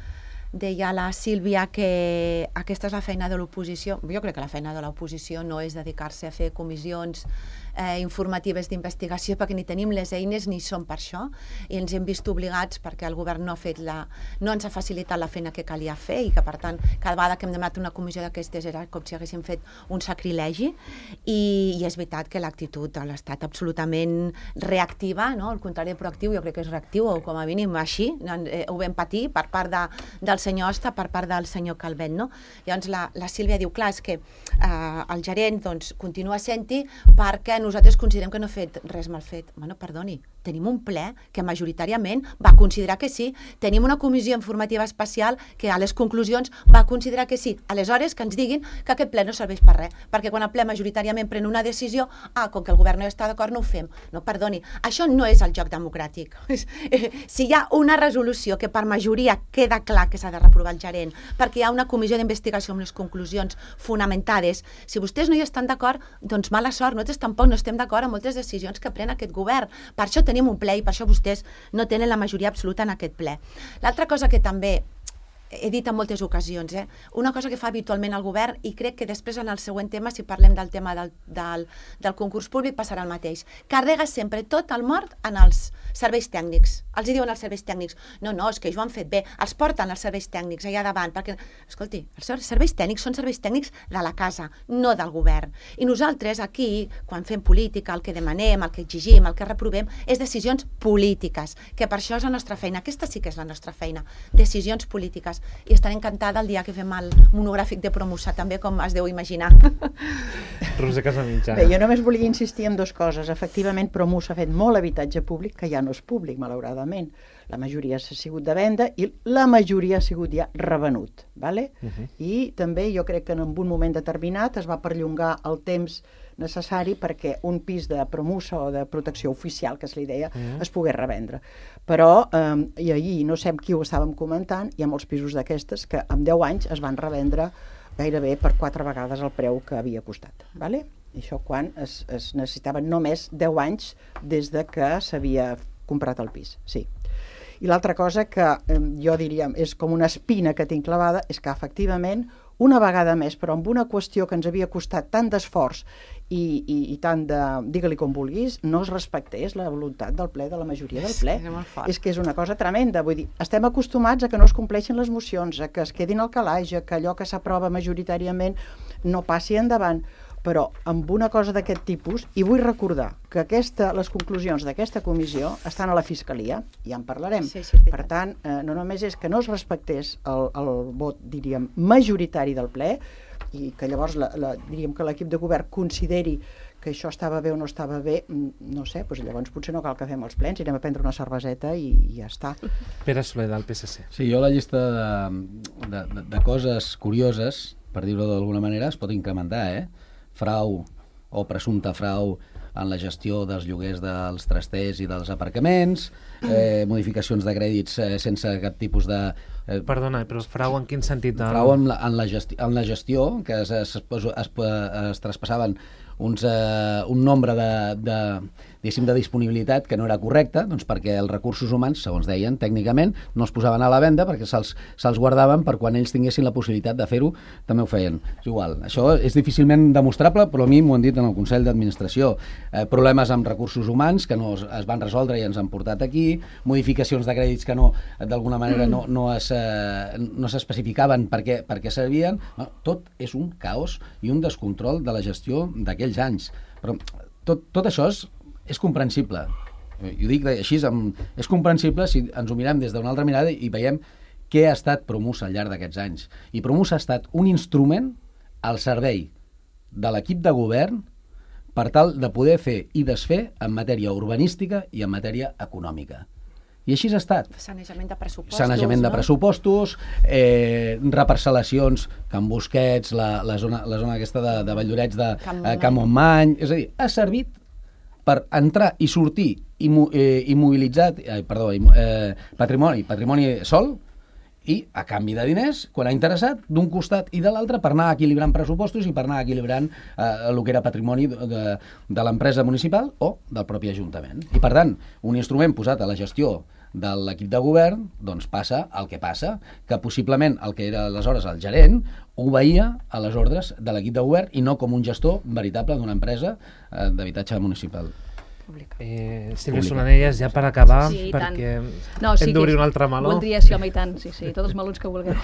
deia la Sílvia que aquesta és la feina de l'oposició. Jo crec que la feina de l'oposició no és dedicar-se a fer comissions eh, informatives d'investigació perquè ni tenim les eines ni som per això i ens hem vist obligats perquè el govern no ha fet la, no ens ha facilitat la feina que calia fer i que per tant cada vegada que hem demanat una comissió d'aquestes era com si haguéssim fet un sacrilegi i, i és veritat que l'actitud ha estat absolutament reactiva, no? Al contrari de proactiu, jo crec que és reactiu o com a mínim així, eh, ho vam patir per part de, del senyor Osta, per part del senyor Calvet, no? Llavors la, la Sílvia diu, clar, és que eh, el gerent doncs, continua sent-hi perquè nosaltres considerem que no ha fet res mal fet. Bueno, perdoni, tenim un ple que majoritàriament va considerar que sí, tenim una comissió informativa especial que a les conclusions va considerar que sí. Aleshores, que ens diguin que aquest ple no serveix per res, perquè quan el ple majoritàriament pren una decisió, ah, com que el govern no està d'acord, no ho fem. No, perdoni, això no és el joc democràtic. Si hi ha una resolució que per majoria queda clar que s'ha de reprovar el gerent, perquè hi ha una comissió d'investigació amb les conclusions fonamentades, si vostès no hi estan d'acord, doncs mala sort, nosaltres tampoc no estem d'acord amb moltes decisions que pren aquest govern. Per això tenim un ple i per això vostès no tenen la majoria absoluta en aquest ple. L'altra cosa que també he dit en moltes ocasions, eh? Una cosa que fa habitualment el govern, i crec que després en el següent tema, si parlem del tema del, del, del concurs públic, passarà el mateix. Carrega sempre tot el mort en els serveis tècnics. Els hi diuen els serveis tècnics, no, no, és que això ho han fet bé, els porten els serveis tècnics allà davant, perquè, escolti, els serveis tècnics són serveis tècnics de la casa, no del govern. I nosaltres aquí, quan fem política, el que demanem, el que exigim, el que reprovem, és decisions polítiques, que per això és la nostra feina. Aquesta sí que és la nostra feina, decisions polítiques. I estaré encantada el dia que fem el monogràfic de Promusa, també, com es deu imaginar. Roser Casamitjana. Bé, jo només volia insistir en dues coses. Efectivament, Promusa ha fet molt habitatge públic, que ja no és públic, malauradament. La majoria ha sigut de venda i la majoria ha sigut ja revenut. ¿vale? Uh-huh. I també jo crec que en un moment determinat es va perllongar el temps necessari perquè un pis de promusa o de protecció oficial, que es li deia, mm. es pogués revendre. Però, eh, i ahir, no sé amb qui ho estàvem comentant, hi ha molts pisos d'aquestes que en deu anys es van revendre gairebé per quatre vegades el preu que havia costat. Vale? I això quan es, es necessitaven només deu anys des de que s'havia comprat el pis. Sí. I l'altra cosa que eh, jo diria és com una espina que tinc clavada és que efectivament una vegada més, però amb una qüestió que ens havia costat tant d'esforç i, i, i tant de, digue-li com vulguis, no es respectés la voluntat del ple, de la majoria del ple. És, és que és una cosa tremenda, vull dir, estem acostumats a que no es compleixin les mocions, a que es quedin al calaix, a que allò que s'aprova majoritàriament no passi endavant, però amb una cosa d'aquest tipus, i vull recordar que aquesta, les conclusions d'aquesta comissió estan a la Fiscalia, ja en parlarem. Sí, sí, per tant, eh, no només és que no es respectés el, el vot, diríem, majoritari del ple, i que llavors la, la, diríem que l'equip de govern consideri que això estava bé o no estava bé, no sé, doncs llavors potser no cal que fem els plens, irem a prendre una cerveseta i, i ja està. Pere Soler, del P S C. Sí, jo la llista de, de, de, de coses curioses, per dir-ho d'alguna manera, es pot incrementar, eh? Frau o presumpte frau en la gestió dels lloguers dels trasters i dels aparcaments, eh, modificacions de crèdits eh, sense cap tipus de... Eh, Perdona, però frau en quin sentit? De... Frau en la, en la, gesti en la gestió, que es, es, es, es, es traspassaven uns, eh, un nombre de, de, diguéssim, de disponibilitat que no era correcte, doncs perquè els recursos humans, segons deien, tècnicament, no es posaven a la venda perquè se'ls se guardaven per quan ells tinguessin la possibilitat de fer-ho, també ho feien. És igual, això és difícilment demostrable, però a mi m'ho han dit en el Consell d'Administració. Eh, problemes amb recursos humans que no es, es van resoldre i ens han portat aquí, modificacions de crèdits que no, d'alguna manera no, no es eh, no s'especificaven per què, per què servien. No, tot és un caos i un descontrol de la gestió d'aquells anys. Però tot, tot això és, és comprensible. I ho dic així, amb, és comprensible si ens ho mirem des d'una altra mirada i veiem què ha estat Promusa al llarg d'aquests anys. I Promusa ha estat un instrument al servei de l'equip de govern per tal de poder fer i desfer en matèria urbanística i en matèria econòmica. I així ha estat. Sanejament de pressupostos. Sanejament de pressupostos, eh, reparcel·lacions, Can Busquets, la, la, zona, la zona aquesta de, de Valldorets, de eh, Can Montmany. És a dir, ha servit per entrar i sortir immo, eh, immobilitzat, eh, perdó, eh, patrimoni, patrimoni sol, i a canvi de diners, quan ha interessat, d'un costat i de l'altre, per anar equilibrant pressupostos i per anar equilibrant eh, el que era patrimoni de, de, de l'empresa municipal o del propi Ajuntament. I per tant, un instrument posat a la gestió de l'equip de govern, doncs passa el que passa, que possiblement el que era aleshores el gerent obeïa a les ordres de l'equip de govern i no com un gestor veritable d'una empresa eh, d'habitatge municipal. Eh, Sílvia Solanelles, ja per acabar, sí, perquè no, sí, hem d'obrir un altre meló. Voldria, sí, home, i tant, sí, sí, tots els melons que vulgueu.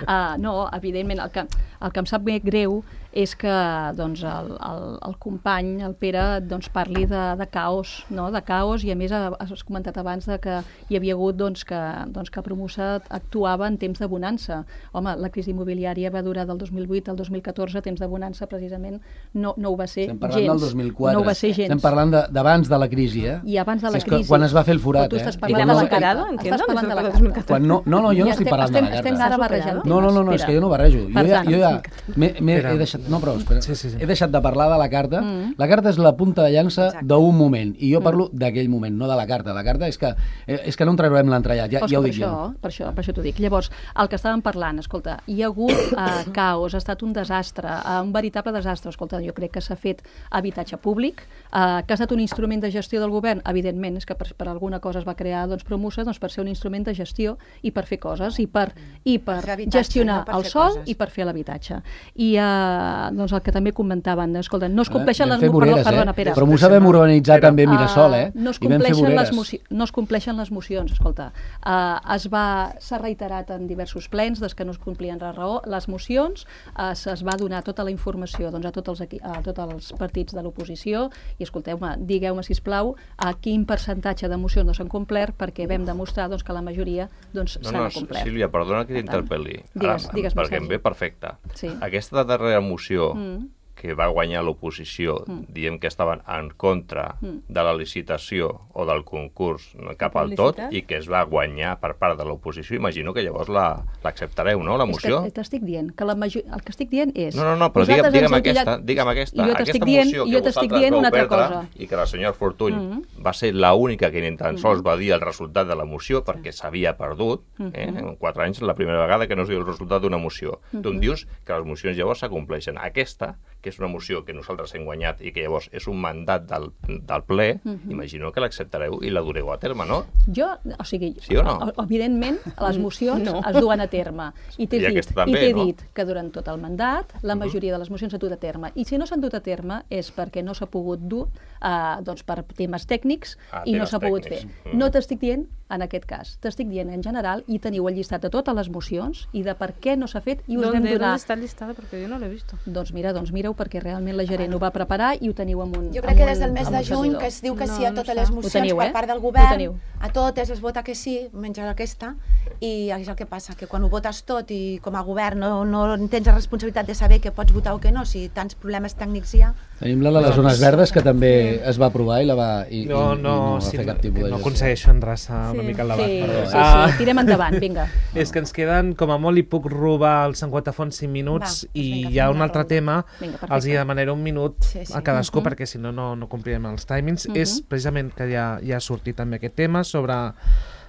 Uh, no, evidentment, el que, el que em sap més greu és que doncs, el, el, el company, el Pere, doncs, parli de, de caos, no? de caos, i a més has comentat abans de que hi havia hagut doncs, que, doncs, que Promusa actuava en temps de bonança. Home, la crisi immobiliària va durar del dos mil vuit al dos mil catorze, temps de bonança precisament no, no ho va ser Estem parlant gens. Del dos mil quatre. No ho va ser gens. Estem parlant d'abans de, de la crisi, eh? I abans de la sí, crisi. Quan es va fer el forat, tu eh? estàs parlant de la carada, estàs parlant de la carada. Quan no, no, no, jo no estic parlant de la Estem carta. ara barrejant. No, no, no, no, és que jo no barrejo. Jo ja, jo ja m'he, m'he, he deixat... No, però, espera. Sí, sí, sí. He deixat de parlar de la carta. Mm. La carta és la punta de llança d'un moment, i jo parlo mm. d'aquell moment, no de la carta. La carta és que, és que no en traurem l'entrellat, ja, ja ho dic això, jo. Per això, per això t'ho dic. Llavors, el que estàvem parlant, escolta, hi ha hagut uh, caos, ha estat un desastre, uh, un veritable desastre. Escolta, jo crec que s'ha fet habitatge públic, uh, que ha estat un instrument de gestió del govern, evidentment, és que per, per alguna cosa es va crear doncs, Promusa, doncs, per ser un instrument de gestió i per fer coses, i per, i per gestionar no per el sòl i per fer l'habitatge. I uh, doncs, el que també comentaven, escolta, no es compleixen les... Voreres, perdona, eh? Pere. Promusa vam urbanitzar també Mirasol, eh? Uh, no, es compleixen les moci... no es compleixen les mocions, escolta. Uh, es va... S'ha reiterat en diversos plens des que no es complien la raó. Les mocions uh, es va donar tota la informació doncs, a, tots els equi... a tots els partits de l'oposició i escolteu-me, digueu-me, sisplau, a quin percentatge de mocions no s'han complert perquè vam demostrar doncs, que la majoria doncs, no, s'han no, complert. Sílvia, perdona que t'interpel·li. Digues, digues perquè em ve perfecte. Sí. Aquesta darrera moció mm. que que va guanyar l'oposició mm. dient que estaven en contra mm. de la licitació o del concurs cap al tot i que es va guanyar per part de l'oposició, imagino que llavors l'acceptareu, la, no, la moció? És que t'estic dient, que la major... el que estic dient és... No, no, no, però digue'm, digue'm aquesta, digue'm aquesta, aquesta dient, moció que vosaltres vau perdre i que la senyora Fortuny mm -hmm. va ser l'única que ni tan sols va dir el resultat de la moció perquè s'havia perdut, eh? en quatre anys la primera vegada que no es diu el resultat d'una moció. Mm -hmm. Tu em dius que les mocions llavors s'acompleixen. Aquesta, que és una moció que nosaltres hem guanyat i que llavors és un mandat del, del ple, mm -hmm. imagino que l'acceptareu i la dureu a terme, no? Jo, o sigui, sí o no? evidentment, les mocions no. es duen a terme. I t'he dit, també, i no? dit que durant tot el mandat la majoria de les mocions s'han dut a terme. I si no s'han dut a terme és perquè no s'ha pogut dur uh, doncs per temes tècnics ah, i temes no s'ha pogut fer. Mm. No t'estic dient en aquest cas, t'estic dient en general i teniu el llistat de totes les mocions i de per què no s'ha fet i us vam donar... ¿Dónde está el listado? Porque yo no lo he visto. Doncs mira, doncs mireu perquè realment la gerent ho va preparar i ho teniu amb un... Jo crec que des del mes de juny que es diu que sí a totes les mocions teniu, per part del govern, a totes es vota que sí, menys aquesta, i és el que passa, que quan ho votes tot i com a govern no, no tens la responsabilitat de saber que pots votar o que no, si tants problemes tècnics hi ha... Tenim la de les zones verdes que també es va aprovar i, la va, i, no, i, no, i no va sí, fer cap tipus de no gestió. aconsegueixo endreçar sí. una mica el debat. Sí, perdó. sí, sí, ah. sí, tirem endavant, vinga. És que ens queden, com a molt, li puc robar els cinquanta fons cinc minuts va, i vinga, hi ha un altre tema, vinga, els hi demanaré un minut sí, sí. a cadascú, uh -huh. perquè si no, no, no complirem els timings. Uh -huh. És precisament que ja, ja ha sortit també aquest tema sobre...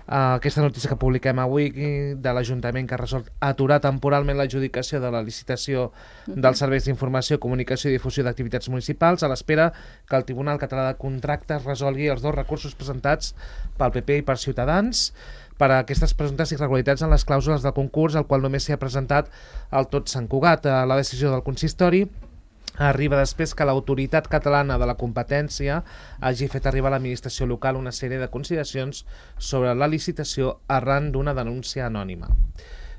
Uh, aquesta notícia que publiquem avui de l'Ajuntament que ha resolt aturar temporalment l'adjudicació de la licitació dels serveis d'informació, comunicació i difusió d'activitats municipals a l'espera que el Tribunal Català de Contractes resolgui els dos recursos presentats pel P P i per Ciutadans per a aquestes presumptes irregularitats en les clàusules del concurs, al qual només s'hi ha presentat el tot Sant Cugat. La decisió del consistori arriba després que l'Autoritat Catalana de la Competència hagi fet arribar a l'administració local una sèrie de consideracions sobre la licitació arran d'una denúncia anònima.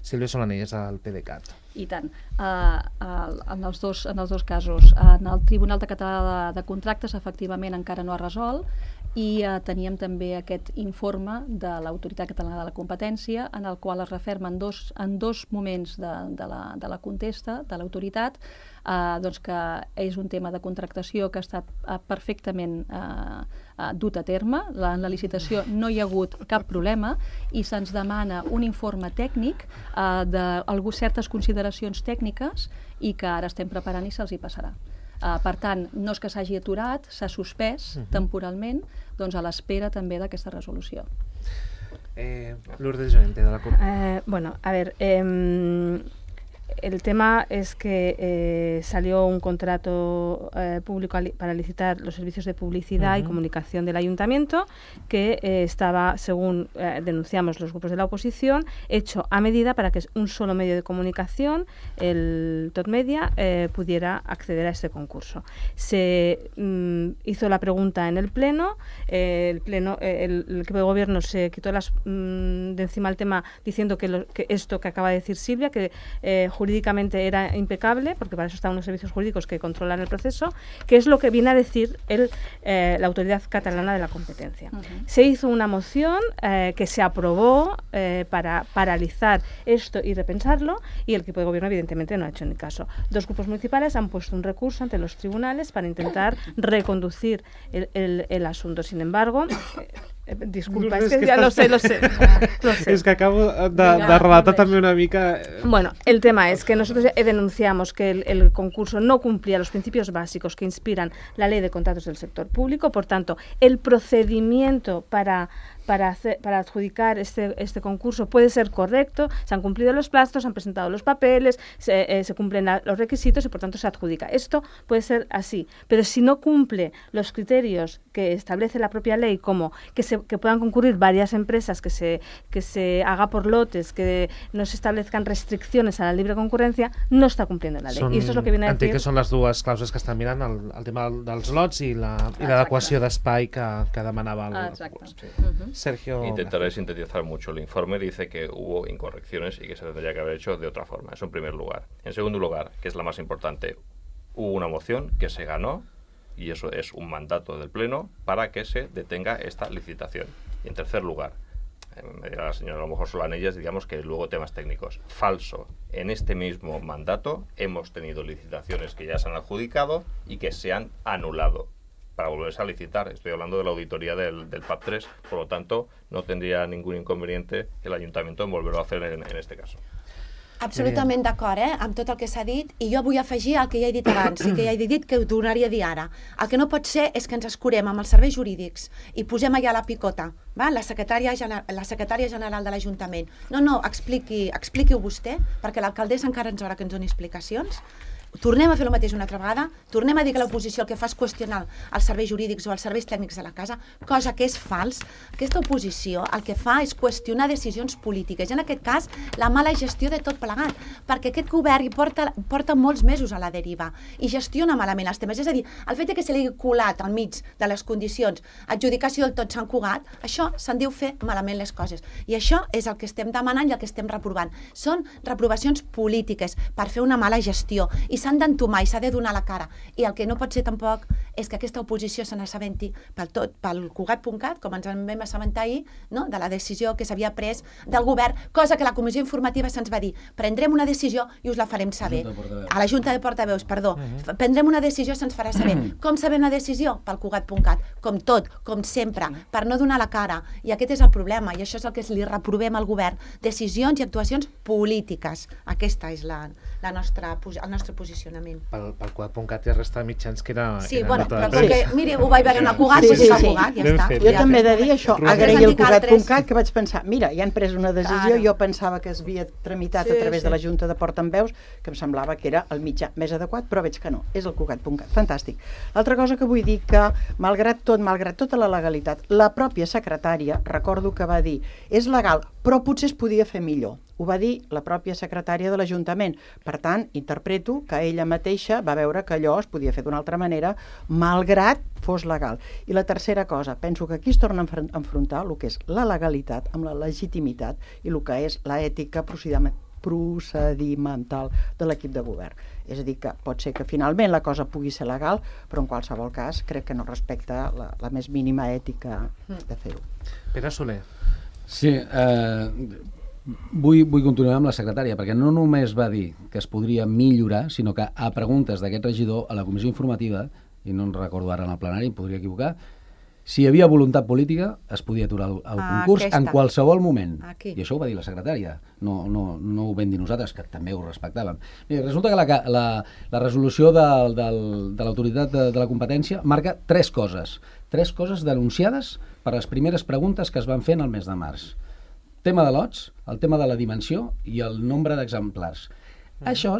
Sílvia Solanelles, del P D C A T. I tant. Uh, uh, en, els dos, en els dos casos, en el Tribunal Català de, de Contractes efectivament encara no ha resolt i uh, teníem també aquest informe de l'Autoritat Catalana de la Competència en el qual es referma en dos, en dos moments de, de, la, de la contesta de l'autoritat uh, doncs que és un tema de contractació que ha estat uh, perfectament uh, uh, dut a terme. La, en la licitació no hi ha hagut cap problema i se'ns demana un informe tècnic uh, de algú, certes consideracions tècniques i que ara estem preparant i se'ls hi passarà. Uh, per tant, no és que s'hagi aturat, s'ha suspès uh -huh. temporalment, doncs a l'espera també d'aquesta resolució. Eh, Lourdes Llorente, de la CUP. Eh, bueno, a ver, eh, el tema es que eh, salió un contrato eh, público para licitar los servicios de publicidad uh-huh. y comunicación del ayuntamiento que eh, estaba, según eh, denunciamos los grupos de la oposición, hecho a medida para que un solo medio de comunicación, el Tot Media, eh, pudiera acceder a este concurso. Se mm, hizo la pregunta en el Pleno, eh, el Pleno, eh, el, el equipo de gobierno se quitó las, mm, de encima el tema diciendo que, lo, que esto que acaba de decir Silvia, que eh, jurídicamente era impecable, porque para eso están unos servicios jurídicos que controlan el proceso, que es lo que viene a decir el, eh, la Autoridad Catalana de la Competencia. Uh-huh. Se hizo una moción eh, que se aprobó eh, para paralizar esto y repensarlo, y el equipo de gobierno evidentemente no ha hecho ni caso. Dos grupos municipales han puesto un recurso ante los tribunales para intentar reconducir el, el, el asunto. Sin embargo, eh, disculpa, es que, que ya lo sé, lo sé, lo sé. Es que acabo de, de relatar también una mica... Bueno, el tema es que nosotros denunciamos que el, el concurso no cumplía los principios básicos que inspiran la Ley de Contratos del Sector Público, por tanto, el procedimiento para... Para, hacer, para adjudicar este, este concurso puede ser correcto, se han cumplido los plazos, se han presentado los papeles, se, eh, se cumplen la, los requisitos y por tanto se adjudica. Esto puede ser así, pero si no cumple los criterios que establece la propia ley, como que, se, que puedan concurrir varias empresas, que se, que se haga por lotes, que no se establezcan restricciones a la libre concurrencia, no está cumpliendo la ley. Són, I això és el que viene a decir... que són les dues clàusules que estan mirant, el, el tema dels lots i l'adequació d'espai que, que demanava el... Exacte. Sí. Uh-huh. Sergio... Intentaré sintetizar mucho. El informe dice que hubo incorrecciones y que se tendría que haber hecho de otra forma. Eso en primer lugar. En segundo lugar, que es la más importante, hubo una moción que se ganó y eso es un mandato del Pleno para que se detenga esta licitación. Y en tercer lugar, me dirá la señora, a lo mejor solo en ellas, digamos que luego temas técnicos. Falso. En este mismo mandato hemos tenido licitaciones que ya se han adjudicado y que se han anulado para volverse a licitar. Estoy hablando de la auditoría del, del P A P tres, por lo tanto, no tendría ningún inconveniente el Ayuntamiento en volverlo a hacer en, en este caso. Absolutament d'acord, eh, amb tot el que s'ha dit, i jo vull afegir el que ja he dit abans i que ja he dit que ho tornaria a dir ara. El que no pot ser és que ens escurem amb els serveis jurídics i posem allà la picota, va? La, secretària gener la secretària general de l'Ajuntament. No, no, expliqui, expliqui-ho vostè, perquè l'alcaldessa encara ens haurà que ens doni explicacions. Tornem a fer el mateix una altra vegada, tornem a dir que l'oposició el que fa és qüestionar els serveis jurídics o els serveis tècnics de la casa, cosa que és fals. Aquesta oposició el que fa és qüestionar decisions polítiques, i en aquest cas la mala gestió de tot plegat, perquè aquest govern hi porta, porta molts mesos a la deriva i gestiona malament els temes. És a dir, el fet que se li hagi colat al mig de les condicions adjudicació del tot Sant Cugat, això se'n diu fer malament les coses. I això és el que estem demanant i el que estem reprovant. Són reprovacions polítiques per fer una mala gestió i s'han d'entomar i s'ha de donar la cara. I el que no pot ser tampoc és que aquesta oposició se n'assabenti pel tot, pel Cugat punt cat, com ens en vam assabentar ahir, no? De la decisió que s'havia pres del govern, cosa que la comissió informativa se'ns va dir, prendrem una decisió i us la farem saber. A la Junta de Portaveus, perdó. Uh-huh. Prendrem una decisió i se'ns farà saber. Uh-huh. Com sabem la decisió? Pel Cugat punt cat. Com tot, com sempre, per no donar la cara. I aquest és el problema, i això és el que li reprovem al govern. Decisions i actuacions polítiques. Aquesta és la, la nostra, el nostre posicionament. Pel, pel Cugat punt cat hi ha resta de mitjans que era... Sí, bueno, però perquè, miri, ho vaig veure en el Cugat, sí, doncs sí, va sí. Cugat, ja està. Jo ja també he de dir això, Roser. agrair el Cugat punt cat, que vaig pensar, mira, ja han pres una decisió, Claro. jo pensava que es havia tramitat Sí, a través sí. de la Junta de Portaveus, que em semblava que era el mitjà més adequat, però veig que no, és el Cugat punt cat, fantàstic. L'altra cosa que vull dir que, malgrat tot, malgrat tota la legalitat, la pròpia secretària, recordo que va dir, és legal, però potser es podia fer millor. Ho va dir la pròpia secretària de l'Ajuntament. Per tant, interpreto que ella mateixa va veure que allò es podia fer d'una altra manera, malgrat fos legal. I la tercera cosa, penso que aquí es torna a enfrontar el que és la legalitat amb la legitimitat i el que és l'ètica procedimental de l'equip de govern. És a dir, que pot ser que finalment la cosa pugui ser legal, però en qualsevol cas crec que no respecta la, la més mínima ètica de fer-ho. Pere Soler. Sí, eh... Vull, vull continuar amb la secretària, perquè no només va dir que es podria millorar, sinó que a preguntes d'aquest regidor a la comissió informativa, i no en recordo ara en el plenari, em podria equivocar, si hi havia voluntat política es podia aturar el, el Ah, concurs aquesta. en qualsevol moment. Aquí. I això ho va dir la secretària, no, no, no ho vam dir nosaltres, que també ho respectàvem. Mira, resulta que la, la, la resolució de, del, de l'autoritat de, de la competència marca tres coses, tres coses denunciades per les primeres preguntes que es van fer en el mes de març. Tema de lots, el tema de la dimensió i el nombre d'exemplars. Mm. Això,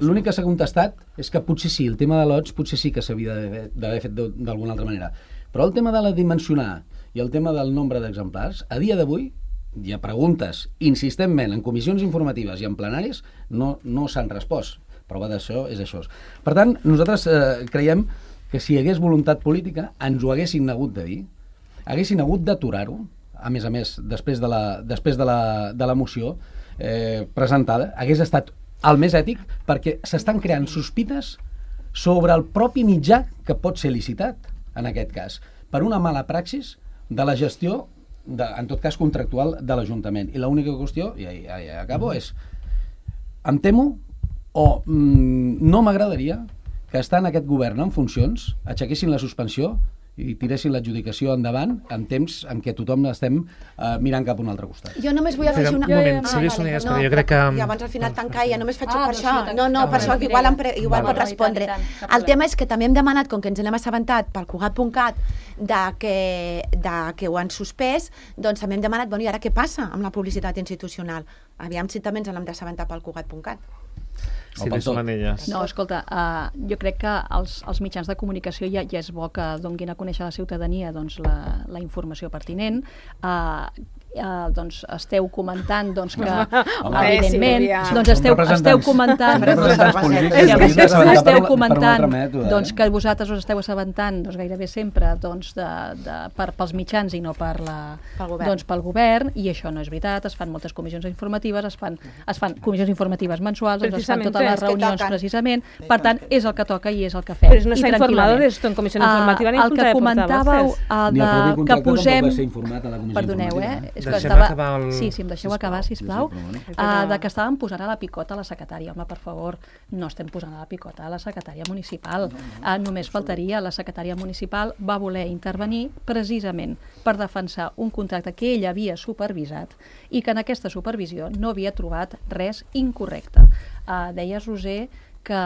l'únic que s'ha contestat és que potser sí, el tema de lots potser sí que s'havia d'haver fet d'alguna altra manera. Però el tema de la dimensionar i el tema del nombre d'exemplars, a dia d'avui, hi ha preguntes insistentment en comissions informatives i en plenaris, no, no s'han respost. Prova d'això és això. Per tant, nosaltres eh, creiem que si hi hagués voluntat política ens ho haguessin hagut de dir, haguessin hagut d'aturar-ho, a més a més, després de la, després de la, de la moció eh, presentada, hagués estat el més ètic, perquè s'estan creant sospites sobre el propi mitjà que pot ser licitat, en aquest cas, per una mala praxis de la gestió, de, en tot cas contractual, de l'Ajuntament. I l'única qüestió, i ja, ja, ja acabo, és em temo o mm, no m'agradaria que estant aquest govern en funcions aixequessin la suspensió i tiressin l'adjudicació endavant en temps en què tothom estem uh, mirant cap a un altre costat. Jo només vull afegir una... Un moment, ah, Sílvia Sonia, espera, jo crec que... I abans al final tancar, ja només faig Ah, per doncs això. no, No, no, no, per això que igual, em pre... igual Vale. pot respondre. I tant, i tant, cap El problema. tema és que també hem demanat, com que ens n'hem assabentat pel Cugat punt cat, de que, de que ho han suspès, doncs també hem demanat, bueno, i ara què passa amb la publicitat institucional? Aviam si també ens n'hem d'assabentar pel Cugat punt cat. Sílvia Solanelles. No, escolta, uh, jo crec que els, els mitjans de comunicació ja, ja és bo que donguin a conèixer a la ciutadania doncs, la, la informació pertinent. Uh, Uh, doncs esteu comentant doncs, que Home, evidentment Sílvia. doncs esteu, esteu comentant representants polítics, és que hauríem d'assabentar per- esteu per un comentant altre mètode, eh? doncs, que vosaltres us esteu assabentant doncs, gairebé sempre doncs, de, de, per, pels mitjans i no per la, Pel govern. doncs, pel govern, i això no és veritat. Es fan moltes comissions informatives, es fan, es fan comissions informatives mensuals, doncs, es fan Precisamente, totes les és que reunions toquen. precisament, per tant és el que toca i és el que fem. Pero no I se ha informado tranquil·lament. de esto en comisión informativa ni en el junta que de comentàveu portavoces. uh, Ni el propi de, que contracte posem tampoc va ser informat a la comissió perdoneu, eh? informativa. És que Deixem estava... acabar el... Sí, sí, em deixeu Sisplau. acabar, sisplau. Sí, sí, Uh, de que estàvem posant a la picota a la secretària. Home, per favor, no estem posant a la picota a la secretària municipal. Uh, només faltaria. La secretària municipal va voler intervenir precisament per defensar un contracte que ella havia supervisat i que en aquesta supervisió no havia trobat res incorrecte. Uh, deies, Roser, que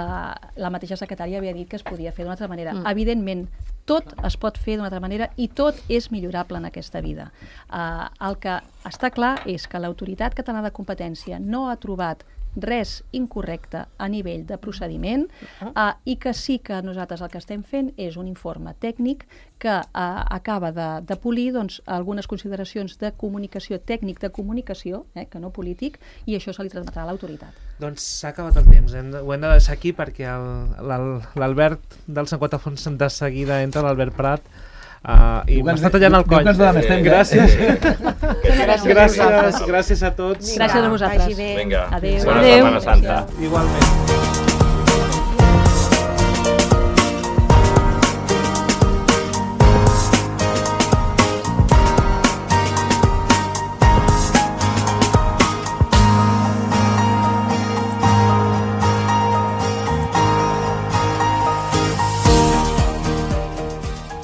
la mateixa secretària havia dit que es podia fer d'una altra manera. Mm. Evidentment, tot es pot fer d'una altra manera i tot és millorable en aquesta vida. Uh, el que està clar és que l'Autoritat Catalana de Competència no ha trobat res incorrecte a nivell de procediment uh, i que sí que nosaltres el que estem fent és un informe tècnic que uh, acaba de, de polir doncs, algunes consideracions de comunicació, tècnic de comunicació, eh, que no polític, i això se li transmetrà a l'autoritat. Doncs s'ha acabat el temps, hem de, ho hem de deixar aquí perquè l'Albert del cinquanta Fons de seguida entra, l'Albert Prat, Uh, i m'està tallant el coll. Gràcies. Gràcies, gràcies a tots. Gràcies a vosaltres. Vinga, adéu. bona Setmana Santa. Igualment.